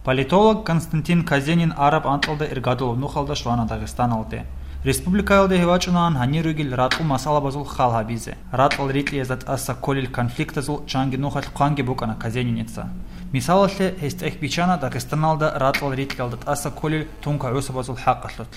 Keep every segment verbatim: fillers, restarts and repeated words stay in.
Политолог Константин Казенин араб анкьалда иргадулаб нухалда щвана Дагъистаналде. Республикаялде гьев вачӀунаан гьанир ругел ракьул масъалабазул хал гьабизе, ракьал рикьиязда тӀаса кколел конфликтазул чанги нухалъ хъванги букӀана Казениница. Мисалалъе, гьес тӀехь биччана Дагъистаналда ракьал рикьиялда тӀаса кколел тункагӀусабазул хӀакъалъулъ.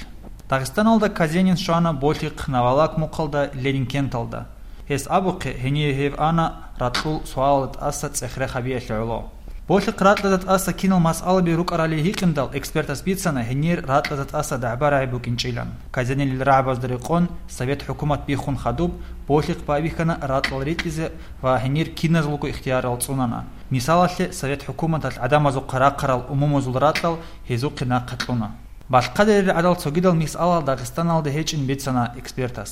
Дагъистаналда Казенин щвана Болъихъ Навалак мухъалда Ленинкенталда. Гьес абухъе, гьение гьев ана ракьул суалалда тӀаса цӀех-рех гьабиялъе гӀоло. Болъихъ ракьалда тӀаса кинал масъалаби рукӀарали гьикъиндал, экспертас бицана гьенир ракьалда тӀаса дагӀба-рагӀи букӀинчӀилан. Казенинил рагӀабазда рекъон, совет хӀукумат биххун хадуб, Болъихъ байбихьана ракьал рикьизе ва гьенир киназулго ихтиярал цӀунана. Мисалалъе, совет хӀукуматалъ гӀадамазухъа рахъарал умумузул ракьал гьезухъе нахъа кьуна. Балъхъадерил гӀадал цогидал мисалал Дагъистаналда гьечӀин бицана экспертас.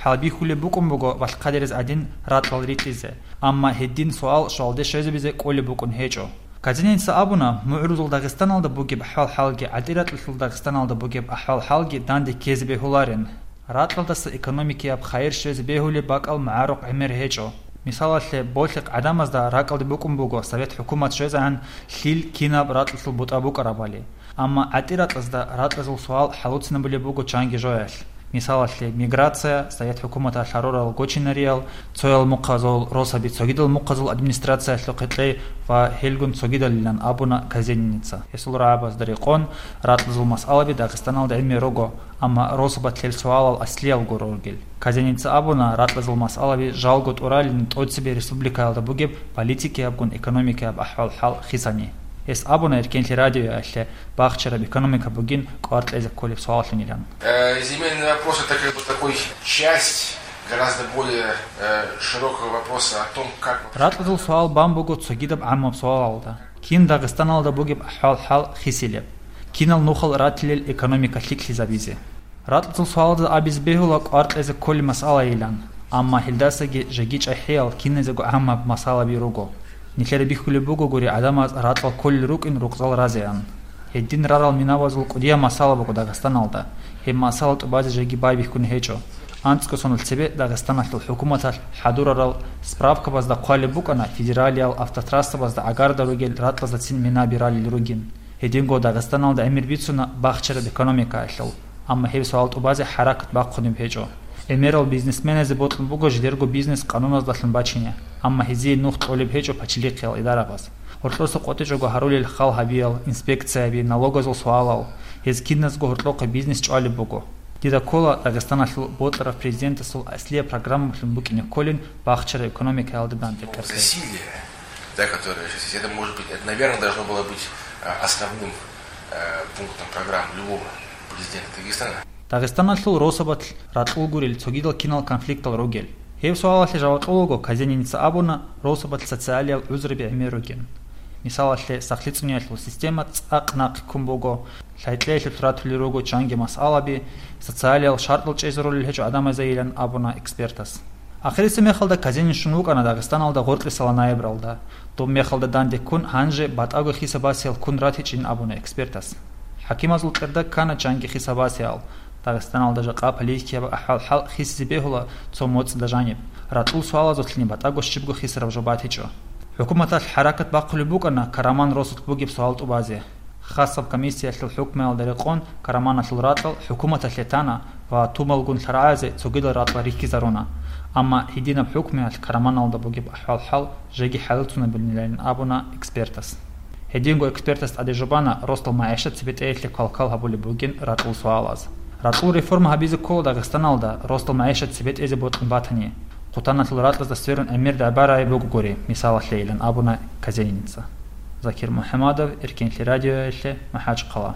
ХӀалбихьулеб букӀун буго балъхъадерез гӀадин ракьал рикьизе, амма гьедин суал щвалде щвезабизе кӀолеб букӀун гьечӀо. Казениница абуна, мугӀрузул Дагъистаналда бугеб ахӀвал-хӀалги гӀатӀиракьалъул Дагъистаналда бугеб ахӀвал-хӀалги данде ккезе бегьуларин. Ракьалдаса экономикияб хайир щвезе бегьулеб бакӀал магӀарухъ гӀемер гьечӀо. Мисалалъе, Болъихъ гӀадамазда ракӀалде букӀун буго совет хӀукумат щвезегӀан лъил кинаб ракьалъул бутӀа букӀарабали. Амма гӀатӀиракьазда ракьазул суал хӀалуцинабулеб буго чанги жоялъ. Мисалалъе, миграция, совет хӀукуматалъ гьарурал гочинариял, цоял мухъазул росаби цогидал мухъазул администрациялъухъе кьей ва гьелгун цогидалилан абуна Казениница. Гьесул рагӀабазда рекъон, ракьазул масъалаби Дагъистаналда гӀемер руго, амма росабалъ гьел суалал аслиялго ругел. Казениница абуна, ракьазул масъалаби жалго тӀуралин тӀоцебе республикаялда бугеб политикиябгун экономикияб ахӀвал-хӀал хисани. Гьес абуна, эркенлъи радиоялъе бахчараб экономика бугин кӀвар кьезе кколеб суаллъунилан. Э, земельный вопрос — это как бы такой часть гораздо более, э, широкого вопроса о том, как вообще... Ракьазул суал бан буго цогидаб гӀаммаб суалалда, кин Дагъистаналда бугеб ахӀвал-хӀал хисилеб, кинал нухал ратилел экономика лъикӀлъизабизе. Ракьазул суалазда абизе бегьула кӀвар кьезе кколеб масъалайилан, амма гьелдасаги жеги чӀахӀиял киназего гӀаммаб масъалаби руго. Нилъеда бихьулеб бугогури гӀадамаз ракьал кколел рукӀин рукъзал разеян. Гьедин рарал минабазул кӀудияб масъала буго Дагъистаналда, гьеб масъала тӀубазе жеги байбихьун гьечӀо. АнцӀго соналъ цебе Дагъистаналъул хӀукуматалъ хӀадурарал справкабазда хъвалеб букӀана федералиял автотрассабазда гӀагарда ругел ракьаздацин минаби ралел ругин. Гьединго Дагъистаналда гӀемер бицуна бахчараб экономикаялъул, амма гьеб суал тӀубазе хӀаракат бахъунеб гьечӀо. ГӀемерал бизнесменазе бокьун буго жидерго бизнес къануназдалъун бачине, амма гьезие нух кьолеб гьечӀо пачалихъиял идарабаз. Гьоркьоса къотӀичӀого гьарулел хал гьабиял, инспекцияби, налогазул суалал, гьез киназго гьоркьохъе бизнес чӀвалеб буго. Дида ккола Дагъистаналъул бокьарав президентасул аслияб программалъун букӀине кколин бахчараб экономикаялда данде ккарде. Засилие, да, которое сейчас есть, это, может быть, это, наверное, должно было быть, а, основным, э, пунктом программы любого президента Дагестана. Дагъистаналъул росабалъ ракьул гурел цогидал кинал конфликтал ругел? Гьеб суалалъе жаваб кьолаго Казениница абуна, росабалъ социалиял гӀузруби гӀемер ругин. Мисалалъе, сахлъи цӀуниялъул система цӀакъ нахъе ккун буго, лъай-кьеялъулъ ратулел руго чанги масъалаби, социалиял шартӀал чӀезарулел гьечӀо гӀадамазайилан абуна экспертас. Ахирисеб мехалда Казенин щун вукӀана Дагъистаналда гъоркьисала ноябралда. Доб мехалда данде ккун, гьанже батӀаго хиса-басиял ккун ратичӀин абуна экспертас. ХӀакимазул кьерда ккана чанги хиса-басиял. Дагъистаналда жакъа политикияб ахӀвал-хӀал хисизе бегьула цо моцӀида жаниб. Ракьул суалазулъни батӀаго щибго хисараб жо батичӀо. ХӀукуматалъ хӀаракат бахъулеб букӀана Караман росулъ бугеб суал тӀубазе. Хасаб комиссиялъул хӀукмуялда рекъон Караманалъул ракьал хӀукуматалъе тана ва тумалгун лъарагӀазе цогидал ракьал рихьизаруна. Амма гьединаб хӀукмуялъ Караманалда бугеб ахӀвал-хӀал жеги хӀалилцунабилинилан абуна экспертас. Гьединго экспертас тӀаде жубана росдал магӀишат цебетӀеялъе квалквал гьабулеб бугин ракьул суалаз. Ракьул реформа гьабизе ккола Дагъистаналда, росдал магӀишат цебетӀезе бокьун батани. Хъутаналъул ракьазда сверун гӀемер дагӀба-рагӀи бугогури, мисалалъейилан абуна Казениница. Закир МухӀамадов, Эркенлъи радиоялъе, МахӀачхъала.